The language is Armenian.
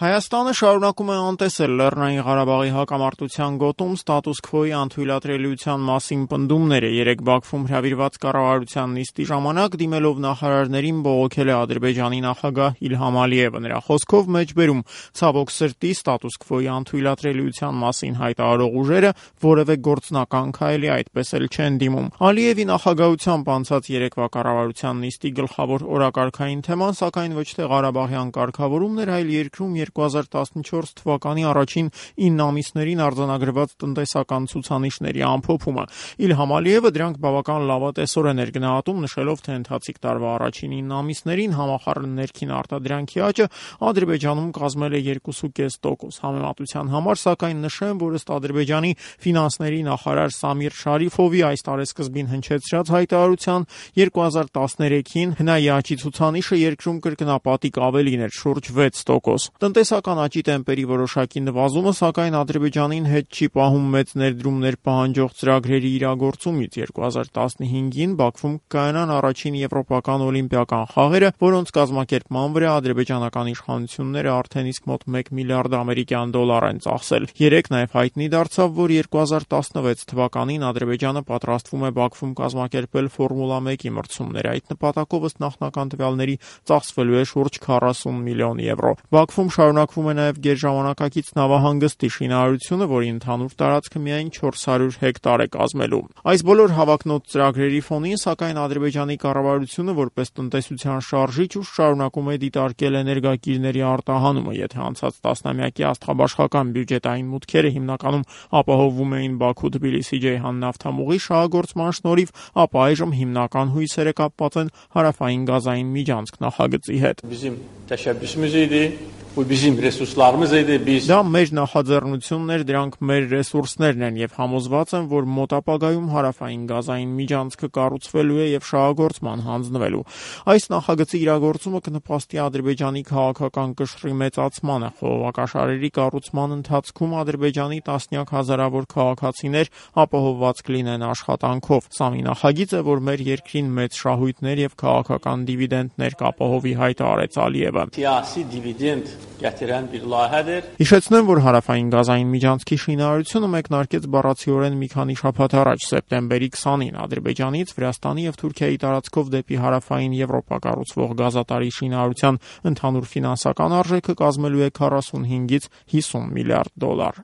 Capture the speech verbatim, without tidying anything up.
Հայաստանը շարունակում է անտեսել Լեռնային Ղարաբաղի հակամարտության գոտում ստատուս քվոյի անթույլատրելիության մասին պնդումները։ Երեկ Բաքվում հրավիրված կառավարության նիստի ժամանակ դիմելով նախարարներին բողոքել է Ադրբեջանի նախագահ Իլհամ Ալիևը։ Նրա խոսքով մեջբերում ցավոք սրտի ստատուս քվոյի անթույլատրելիության մասին հայտարարող ուժերը որևէ գործնական քայլի այդպես էլ չեն դիմում։ Ալիևի նախագահությամբ անցած երեկվա կառավարության նիստի գլխավոր օրակարգային թեման սակայն ոչ թե Ղարաբաղյան կարգավորումն էր, այլ երկրում երկու հազար տասնչորս թվականի առաջին ինը ամիսներին արձանագրված տնտեսական ցուցանիշների ամփոփումը։ Իլհամ Ալիևը դրանք բավական լավատեսորեն էր գնահատում, նշելով, թե ընթացիկ տարվա առաջին ինը ամիսներին համախառն ներքին արտադրանքի աճը Ադրբեջանում կազմել է երկու կես տոկոս։ Համեմատության համար սակայն նշեմ, որ ըստ Ադրբեջանի ֆինանսների նախարար Սամիր Շարիֆովի այս տարեսկզբին հնչեցրած հայտարարության երկու հազար տասներեքին հնայի աճի ցուցանիշը երկրում կրկնապատիկ ավելին էր՝ շուրջ վեց տոկոս։ Տնտեսական աճի տեմպերի որոշակի նվազումը սակայն Ադրբեջանին հետ չի պահում մեծ ներդրումներ պահանջող ծրագրերի իրագործումից։ երկու հազար տասնհինգին Բաքվում կայանան առաջին եվրոպական օլիմպիական խաղերը, որոնց կազմակերպման վրա ադրբեջանական իշխանությունները արդեն իսկ մոտ մեկ միլիարդ ամերիկյան դոլար են ծախսել։ Երեկ նաև հայտնի դարձավ, որ երկու հազար տասնվեց թվականին Ադրբեջանը պատրաստվում է Բաքվում կազմակերպել Ֆորմուլա մեկի մրցումներ։ Այդ նպատակով ըստ նախնական տվյալների ծախսվելու է շուրջ քառասուն միլիոն եվրո։ Բաքվում շարունակվում է նաև գերժամանակակից նավահանգստի շինարարությունը, որի ընդհանուր տարածքը միայն չորս հարյուր հեկտար է կազմելու։ Այս բոլոր հավակնոտ ծրագրերի ֆոնին, սակայն Ադրբեջանի կառավարությունը որպես տնտեսության շարժիչ ուժ շարունակում է դիտարկել էներգակիրների արտահանումը։ Եթե անցած տասնամյակի աստղաբաշխական բյուջետային մուտքերը հիմնականում ապահովվում էին Բաքու-Թբիլիսի-Ջեյհան նավթամուղի շահագործման շնորհիվ, ապա այժմ հիմնական հույսերը կապված են հարավային գազային միջանցք նախագծի հետ։ Դա մեր նախաձեռնությունն էր, դրանք մեր ռեսուրսներն են եւ համոզված եմ, որ մոտ ապագայում հարավային գազային միջանցքը կառուցվելու է եւ շահագործման հանձնվելու։ Այս նախագծի իրագործումը կնպաստի Ադրբեջանի քաղաքական կշռի մեծացմանը։ Խողովակաշարերի կառուցման ընթացքում Ադրբեջանի տասնյակ հազարավոր քաղաքացիներ ապահովված կլինեն աշխատանքով։ Սա մի նախագիծ է, որ մեր երկրին մեծ շահույթներ եւ քաղաքական դիվիդենտներ կապահովի, հայտարարեց Ալիևը։ Հիշեցնեմ, որ հարավային գազային միջանցքի շինարարությունը մեկնարկեց բառացիորեն մի քանի շաբաթ առաջ, սեպտեմբերի քսանին, Ադրբեջանից Վրաստանի եւ Թուրքիայի տարածքով դեպի հարավային Եվրոպա կառուցվող գազատարի շինարարության ընդհանուր ֆինանսական արժեքը կազմելու է քառասունհինգից հիսուն միլիարդ դոլար։